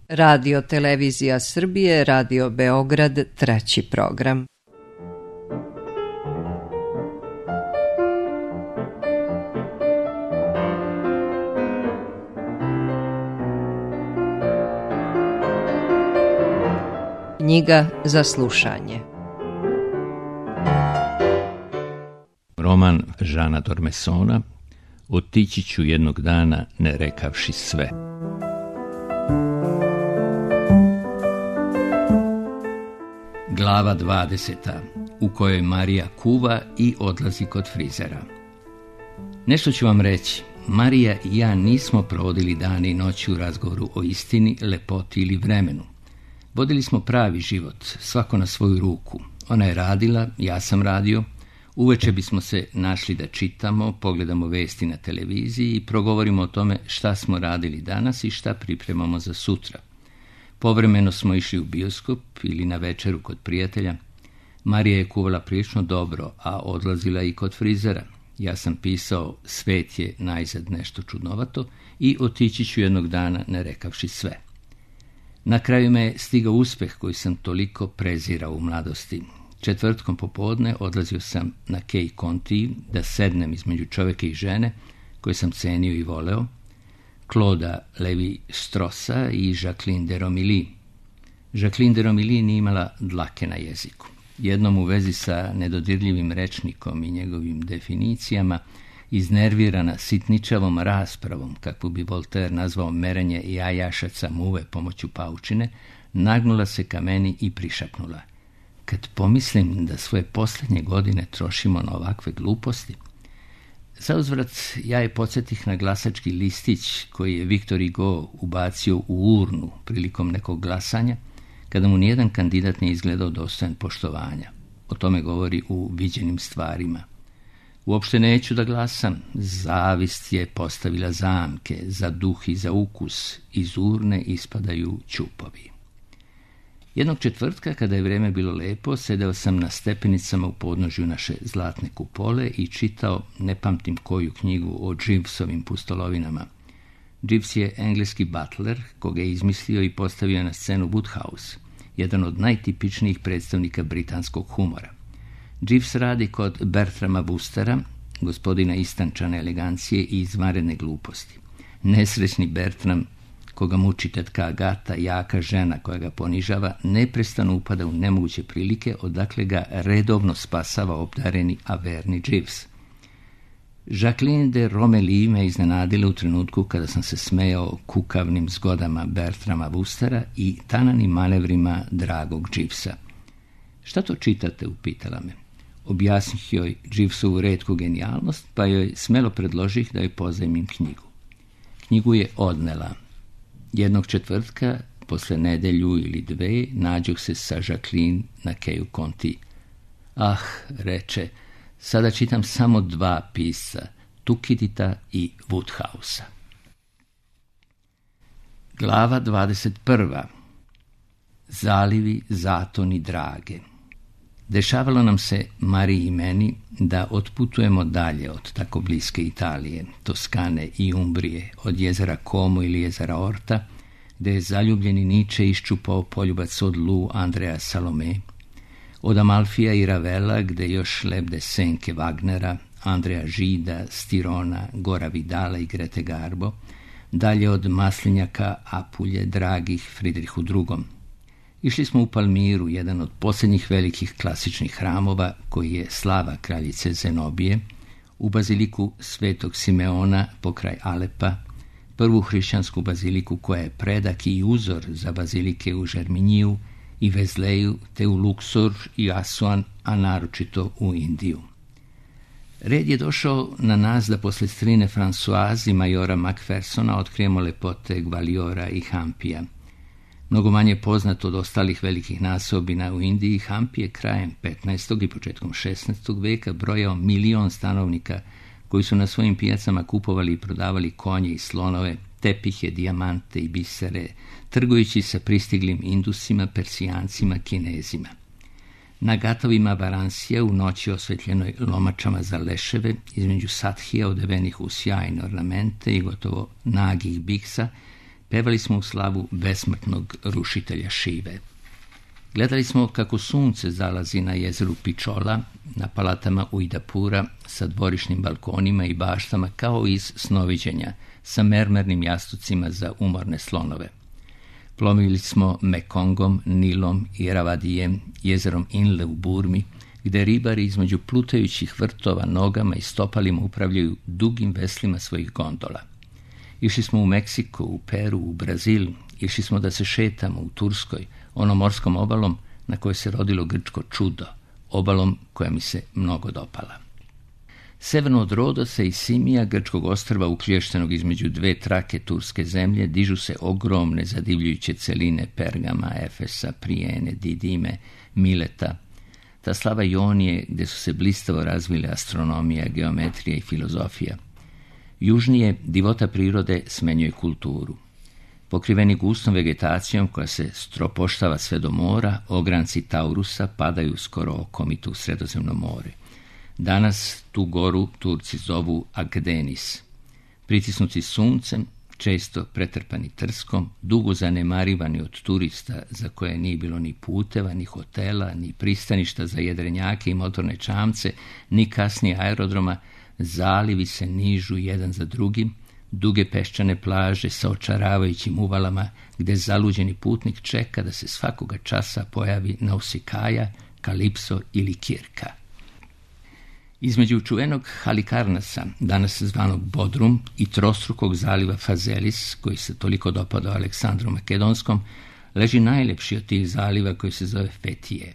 Radio Televizija Srbije, Radio Beograd, 3. program. Knjiga za slušanje. Roman Žana Dormesona Otići ću jednog dana ne rekavši sve. Glava 20. u kojoj Marija kuva i odlazi kod frizera. Nešto ću vam reći. Marija i ja nismo provodili dane i noći u razgovoru o istini, lepoti ili vremenu. Vodili smo pravi život, svako na svoju ruku. Ona je radila, ja sam radio. Uveče bismo se našli da čitamo, pogledamo vesti na televiziji i progovorimo o tome šta smo radili danas i šta pripremamo za sutra. Povremeno smo išli u bioskop ili na večeru kod prijatelja. Marija je kuvala prilično dobro, a odlazila i kod frizera. Ja sam pisao Svet je najzad nešto čudnovato i Otići ću jednog dana ne rekavši sve. Na kraju me je stigao uspeh koji sam toliko prezirao u mladosti. Četvrtkom popodne odlazio sam na Kej Conti da sednem između čovjeka i žene koje sam cenio i voleo, Clauda Levi-Strossa i Jacqueline de Romilly. Jacqueline de Romilly nije imala dlake na jeziku. Jednom u vezi sa nedodirljivim rečnikom i njegovim definicijama, iznervirana sitničavom raspravom, kakvu bi Voltaire nazvao merenje jajašaca muve pomoću paučine, nagnula se ka meni i prišapnula: kad pomislim da svoje posljednje godine trošimo na ovakve gluposti. Zauzvrat ja je podsjetih na glasački listić koji je Victor Hugo ubacio u urnu prilikom nekog glasanja, kada mu nijedan kandidat nije izgledao dostojan poštovanja. O tome govori u Viđenim stvarima. Uopšte neću da glasam. Zavist je postavila zamke, za duh i za ukus, iz urne ispadaju ćupovi. Jednog četvrtka, kada je vrijeme bilo lepo, sedeo sam na stepenicama u podnožju naše zlatne kupole i čitao ne pamtim koju knjigu o Jeevesovim pustolovinama. Jeeves je engleski butler, koga je izmislio i postavio na scenu Woodhouse, jedan od najtipičnijih predstavnika britanskog humora. Jeeves radi kod Bertrama Woostera, gospodina istančane elegancije i izvanredne gluposti. Nesrećni Bertram, koga muči tetka Agata, jaka žena koja ga ponižava, neprestano upada u nemoguće prilike, odakle ga redovno spasava obdareni averni Jeeves. Jacqueline de Romilly me iznenadila u trenutku kada sam se smejao kukavnim zgodama Bertrama Woostera i tananim manevrima dragog Jeevesa. Šta to čitate, upitala me. Objasnih joj Jeevesovu retku genijalnost, pa joj smelo predložih da joj pozajmim knjigu. Knjigu je odnela. Jednog četvrtka, posle nedelju ili dve, nađoh se sa Jacqueline na Keju Conti. Ah, reče, sada čitam samo dva pisca, Tukidita i Woodhousea. Glava 21. Zalivi, zatoni drage. Dešavalo nam se, Mariji i meni, da otputujemo dalje od tako bliske Italije, Toskane i Umbrije, od jezera Como ili jezera Orta, gde je zaljubljeni Nietzsche iščupao poljubac od Lu Andrea Salome, od Amalfija i Ravela, gde još lebde senke Wagnera, Andreja Žida, Stirona, Gora Vidala i Grete Garbo, dalje od Maslinjaka, Apulje, dragih Fridrihu II. Išli smo u Palmiru, jedan od posljednjih velikih klasičnih hramova koji je slava kraljice Zenobije, u baziliku Svetog Simeona pokraj Alepa, prvu hrišćansku baziliku koja je predak i uzor za bazilike u Žerminiju i Vezleju, te u Luksor i Asuan, a naročito u Indiju. Red je došao na nas da posle strine Françoise i majora Macphersona otkrijemo lepote Gvaliora i Hampija. Mnogo manje poznat od ostalih velikih naseobina u Indiji, Hampi je krajem 15. i početkom 16. veka brojao 1 milion stanovnika koji su na svojim pijacama kupovali i prodavali konje i slonove, tepihe, dijamante i bisere, trgujući sa pristiglim Indusima, Persijancima, Kinezima. Na gatovima Varansija, u noći osvetljenoj lomačama za leševe, između sathija odevenih u sjajne ornamente i gotovo nagih biksa, Pevali smo u slavu besmrtnog rušitelja Šive. Gledali smo kako sunce zalazi na jezeru Pičola, na palatama Ujdapura sa dvorišnim balkonima i baštama kao iz snoviđenja, sa mermernim jastucima za umorne slonove. Plovili smo Mekongom, Nilom i Ravadijem, jezerom Inle u Burmi, gde ribari između plutajućih vrtova nogama i stopalima upravljaju dugim veslima svojih gondola. Išli smo u Meksiko, u Peru, u Brazil, išli smo da se šetamo u Turskoj, onom morskom obalom na kojoj se rodilo grčko čudo, obalom koja mi se mnogo dopala. Severno od Rodosa i Simija, grčkog ostrva uklještenog između dve trake turske zemlje, dižu se ogromne zadivljujuće celine Pergama, Efesa, Prijene, Didime, Mileta, ta slava Ionije gdje su se blistavo razvile astronomija, geometrija i filozofija. Južnije divota prirode smenjuje kulturu. Pokriveni gustom vegetacijom koja se stropoštava sve do mora, ogranci Taurusa padaju skoro okomito u Sredozemno more. Danas tu goru Turci zovu Agdenis. Pritisnuti suncem, često pretrpani trskom, dugo zanemarivani od turista za koje nije bilo ni puteva, ni hotela, ni pristaništa za jedrenjake i motorne čamce, ni kasnije aerodroma, zalivi se nižu jedan za drugim, duge peščane plaže sa očaravajućim uvalama gde zaluđeni putnik čeka da se svakoga časa pojavi Nausikaja, Kalipso ili Kirka. Između čuvenog Halikarnasa, danas zvanog Bodrum, i trostrukog zaliva Fazelis, koji se toliko dopadao Aleksandru Makedonskom, leži najlepši od tih zaliva koji se zove Fetije.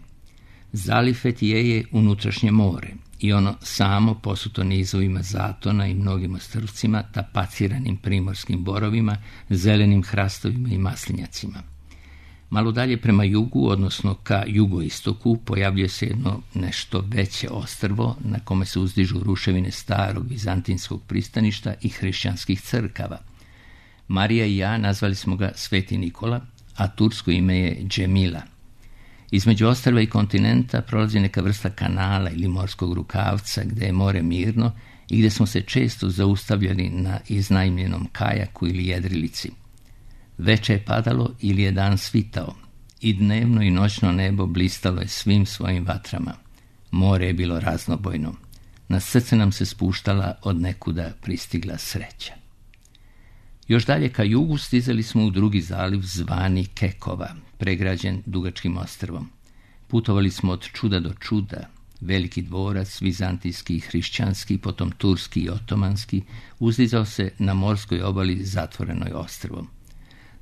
Zaliv Fetije je unutrašnje more i ono samo posuto nizovima zatona i mnogim ostrvcima, tapaciranim primorskim borovima, zelenim hrastovima i maslinjacima. Malo dalje prema jugu, odnosno ka jugoistoku, pojavljuje se jedno nešto veće ostrvo na kome se uzdižu ruševine starog vizantinskog pristaništa i hrišćanskih crkava. Marija i ja nazvali smo ga Sveti Nikola, a tursko ime je Džemila. Između ostrva i kontinenta prolazi neka vrsta kanala ili morskog rukavca gde je more mirno i gde smo se često zaustavljali na iznajmljenom kajaku ili jedrilici. Veče je padalo ili je dan svitao i dnevno i noćno nebo blistalo je svim svojim vatrama. More je bilo raznobojno. Na srce nam se spuštala od nekuda pristigla sreća. Još dalje ka jugu stizali smo u drugi zaliv zvani Kekova, pregrađen dugačkim ostrvom. Putovali smo od čuda do čuda. Veliki dvorac, vizantijski i hrišćanski, potom turski i otomanski, uzdizao se na morskoj obali zatvorenoj ostrvom.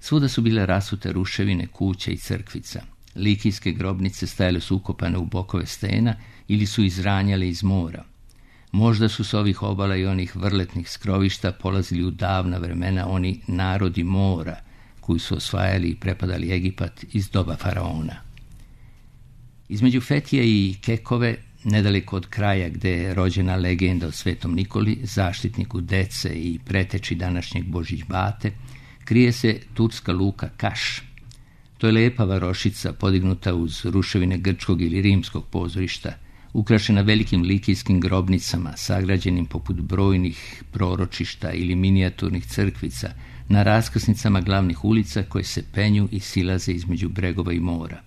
Svuda su bile rasute ruševine, kuća i crkvica. Likijske grobnice stajale su ukopane u bokove stena ili su izranjale iz mora. Možda su s ovih obala i onih vrletnih skrovišta polazili u davna vremena oni narodi mora koji su osvajali i prepadali Egipat iz doba faraona. Između Fetije i Kekove, nedaleko od kraja gde je rođena legenda o Svetom Nikoli, zaštitniku dece i preteči današnjeg Božić Bate, krije se turska luka Kaš. To je lepa varošica podignuta uz ruševine grčkog ili rimskog pozorišta, ukrašena velikim likijskim grobnicama, sagrađenim poput brojnih proročišta ili minijaturnih crkvica, na raskrsnicama glavnih ulica koje se penju i silaze između bregova i mora.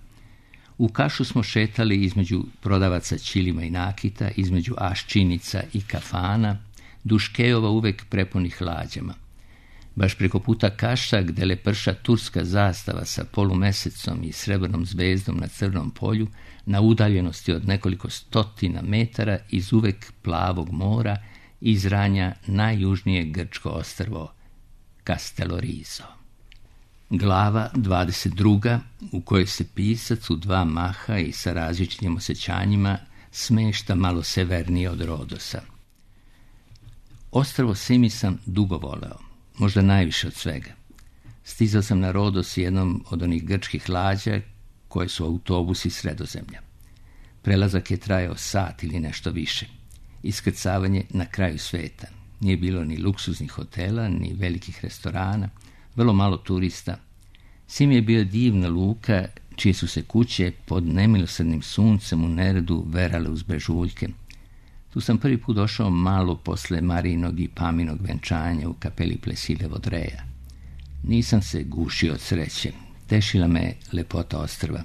U Kašu smo šetali između prodavaca ćilima i nakita, između aščinica i kafana, duž kejova uvek prepunih lađama. Baš preko puta Kaša, gde leprša turska zastava sa polumesecom i srebrnom zvezdom na crnom polju, na udaljenosti od nekoliko stotina metara iz uvek plavog mora, izranja najjužnije grčko ostrvo Castellorizo. Glava 22. u kojoj se pisac u dva maha i sa različitim osjećanjima smešta malo severnije od Rodosa. Ostrvo Simi sam dugo voleo, možda najviše od svega. Stizao sam na Rodos jednom od onih grčkih lađa koje su autobusi Sredozemlja. Prelazak je trajao sat ili nešto više. Iskrcavanje na kraju sveta. Nije bilo ni luksuznih hotela, ni velikih restorana, vrlo malo turista. Sim je bio divna luka, čije su se kuće pod nemilosrdnim suncem u neredu verale uz brežuljke. Tu sam prvi put došao malo posle Marijinog i Paminog venčanja u kapeli Plesile Vodreja. Nisam se gušio od sreće. Tešila me lepota ostrva.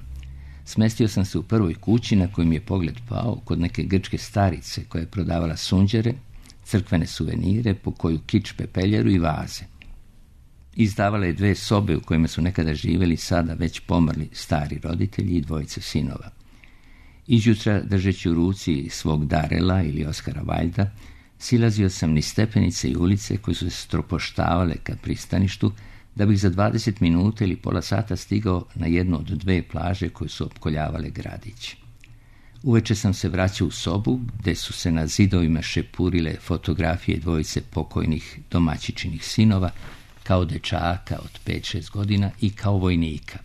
Smestio sam se u prvoj kući na koju mi je pogled pao kod neke grčke starice koja je prodavala sunđere, crkvene suvenire, po koju kič pepeljeru i vaze. Izdavala je 2 sobe u kojima su nekada živjeli sada već pomrli stari roditelji i 2 sinova. Izjutra, držeći u ruci svog Darela ili Oskara Valjda, silazio sam niz stepenice i ulice koje su se stropoštavale ka pristaništu, da bih za 20 minuta ili pola sata stigao na jednu od 2 plaže koje su opkoljavale gradić. Uveče sam se vraćao u sobu, gde su se na zidovima šepurile fotografije 2 pokojnih domaćičinih sinova, kao dečaka od 5-6 godina i kao vojnika.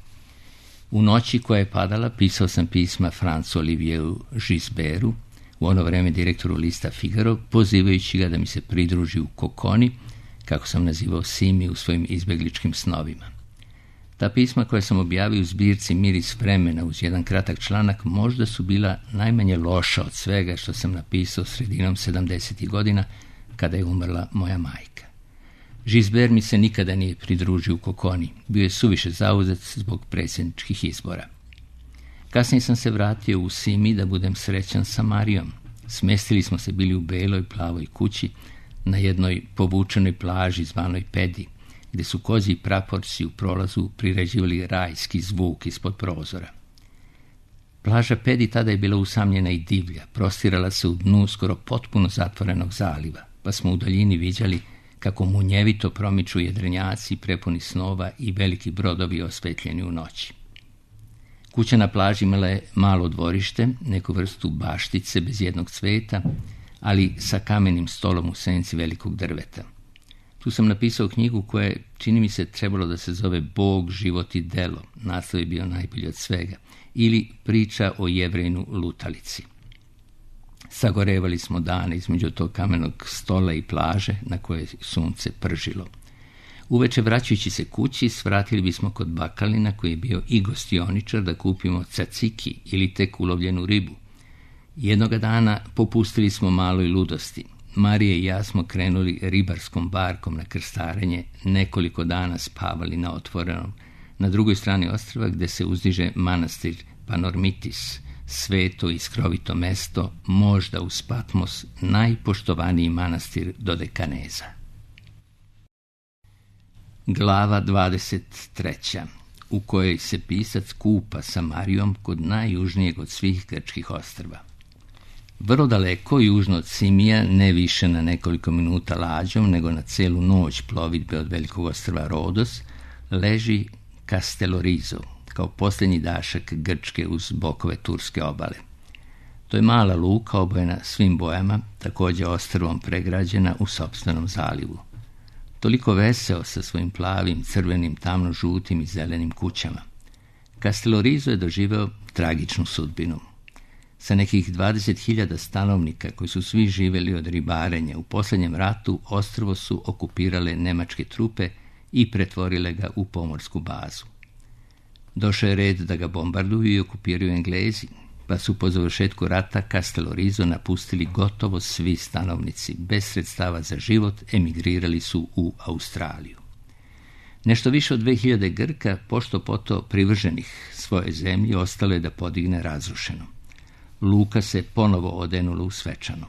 U noći koja je padala pisao sam pisma Francu Olivieru Gisbertu, u ono vreme direktoru lista Figaro, pozivajući ga da mi se pridruži u Kokoni, kako sam nazivao Simi u svojim izbegličkim snovima. Ta pisma koja sam objavio u zbirci Miris vremena uz jedan kratak članak možda su bila najmanje loša od svega što sam napisao sredinom 70. godina kada je umrla moja majka. Gisbert mi se nikada nije pridružio u Kokoni, bio je suviše zauzet zbog predsjedničkih izbora. Kasnije sam se vratio u Simi da budem srećan sa Marijom. Smestili smo se bili u beloj plavoj kući na jednoj povučenoj plaži zvanoj Pedi, gde su kozji praporci u prolazu priređivali rajski zvuk ispod prozora. Plaža Pedi tada je bila usamljena i divlja, prostirala se u dnu skoro potpuno zatvorenog zaliva, pa smo u daljini viđali kako munjevito promiču jedrenjaci prepuni snova i veliki brodovi osvetljeni u noći. Kuća na plaži imala je malo dvorište, neku vrstu baštice bez jednog cveta, ali sa kamenim stolom u senci velikog drveta. Tu sam napisao knjigu koja je, čini mi se, trebalo da se zove Bog, život i delo, naslov je bio najbolji od svega, ili priča o Jevrejnu lutalici. Sagorevali smo dane između tog kamenog stola i plaže na koje sunce pržilo. Uveče, vraćajući se kući, svratili bismo kod Bakalina, koji je bio i gostioničar, da kupimo caciki ili tek ulovljenu ribu. Jednoga dana popustili smo maloj ludosti. Marija i ja smo krenuli ribarskom barkom na krstarenje, nekoliko dana spavali na otvorenom, na drugoj strani ostrva gde se uzdiže manastir Panormitis, sveto i skrovito mesto, možda uz Patmos najpoštovaniji manastir Dodekaneza. Glava 23. u kojoj se pisac kupa sa Marijom kod najjužnijeg od svih grčkih ostrva. Vrlo daleko, južno od Simija, ne više na nekoliko minuta lađom, nego na celu noć plovidbe od velikog ostrva Rodos, leži Castellorizo, kao posljednji dašak Grčke uz bokove turske obale. To je mala luka obojena svim bojama, također ostrvom pregrađena u sopstvenom zalivu. Toliko veseo sa svojim plavim, crvenim, tamno-žutim i zelenim kućama. Castellorizo je doživeo tragičnu sudbinu. Sa nekih 20.000 stanovnika koji su svi živjeli od ribarenja, u posljednjem ratu ostrvo su okupirale nemačke trupe i pretvorile ga u pomorsku bazu. Došao je red da ga bombarduju i okupiraju Englezi, pa su po završetku rata Castellorizo napustili gotovo svi stanovnici. Bez sredstava za život emigrirali su u Australiju. Nešto više od 2000 Grka, pošto poto privrženih svoje zemlji, ostalo je da podigne razrušeno. Luka se ponovo odenula u svečano.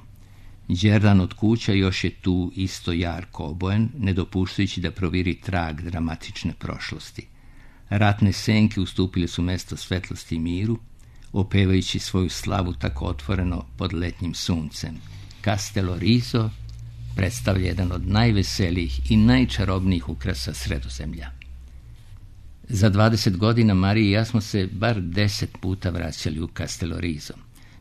Đerdan od kuća još je tu isto jarko obojen, ne dopuštajući da proviri trag dramatične prošlosti. Ratne senke ustupile su mesto svetlosti i miru, opevajući svoju slavu tako otvoreno pod letnjim suncem. Castellorizo predstavlja jedan od najveselijih i najčarobnijih ukrasa Sredozemlja. Za 20 godina Marija i ja smo se bar 10 puta vraćali u Castellorizo.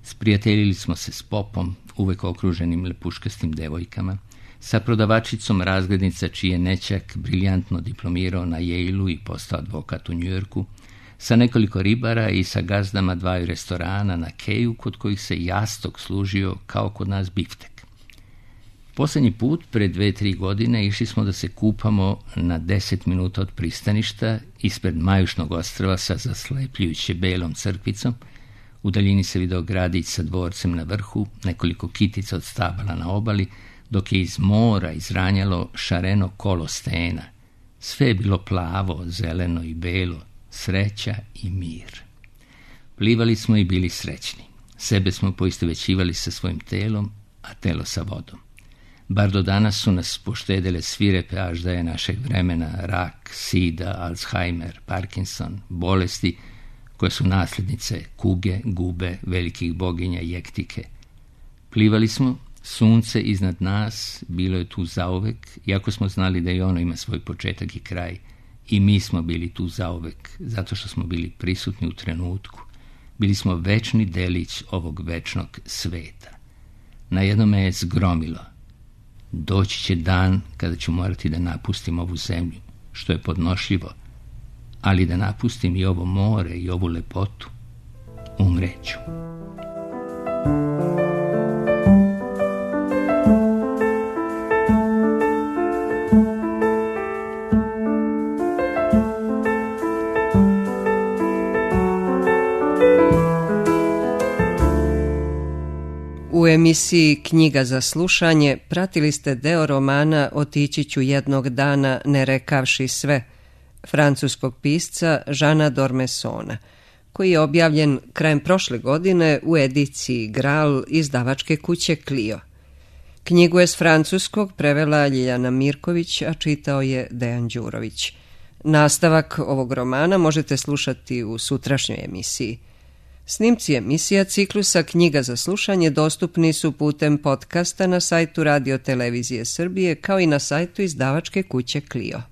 Sprijateljili smo se s popom, uvek okruženim lepuškastim devojkama, sa prodavačicom razglednica čiji je nećak briljantno diplomirao na Yale-u i postao advokat u Njujorku, sa nekoliko ribara i sa gazdama 2 restorana na Keju kod kojih se jastok služio kao kod nas biftek. Posljednji put, pre 2-3 godine, išli smo da se kupamo na 10 minuta od pristaništa ispred Majušnog ostrva sa zaslepljujuće belom crkvicom. U daljini se video gradić sa dvorcem na vrhu, nekoliko kitica od stabala na obali, dok je iz mora izranjalo šareno kolo stena, Sve je bilo plavo, zeleno i belo, sreća i mir. Plivali smo i bili srećni. Sebe smo poistovećivali sa svojim telom, a telo sa vodom. Bar do danas su nas poštedele svirepe aždaje našeg vremena, rak, sida, Alzheimer, Parkinson, bolesti koje su nasljednice kuge, gube, velikih boginja i jektike. Plivali smo, sunce iznad nas bilo je tu zauvek, iako smo znali da i ono ima svoj početak i kraj. I mi smo bili tu zauvek, zato što smo bili prisutni u trenutku. Bili smo večni delić ovog večnog sveta. Na jednome je zgromilo. Doći će dan kada ću morati da napustim ovu zemlju, što je podnošljivo, ali da napustim i ovo more i ovu lepotu, umreću. U emisiji Knjiga za slušanje pratili ste deo romana Otići ću jednog dana ne rekavši sve, francuskog pisca Žana Dormesona, koji je objavljen krajem prošle godine u ediciji Gral izdavačke kuće Clio. Knjigu je s francuskog prevela Ljiljana Mirković, a čitao je Dejan Đurović. Nastavak ovog romana možete slušati u sutrašnjoj emisiji. Snimci emisija ciklusa Knjiga za slušanje dostupni su putem podcasta na sajtu Radio Televizije Srbije kao i na sajtu izdavačke kuće Clio.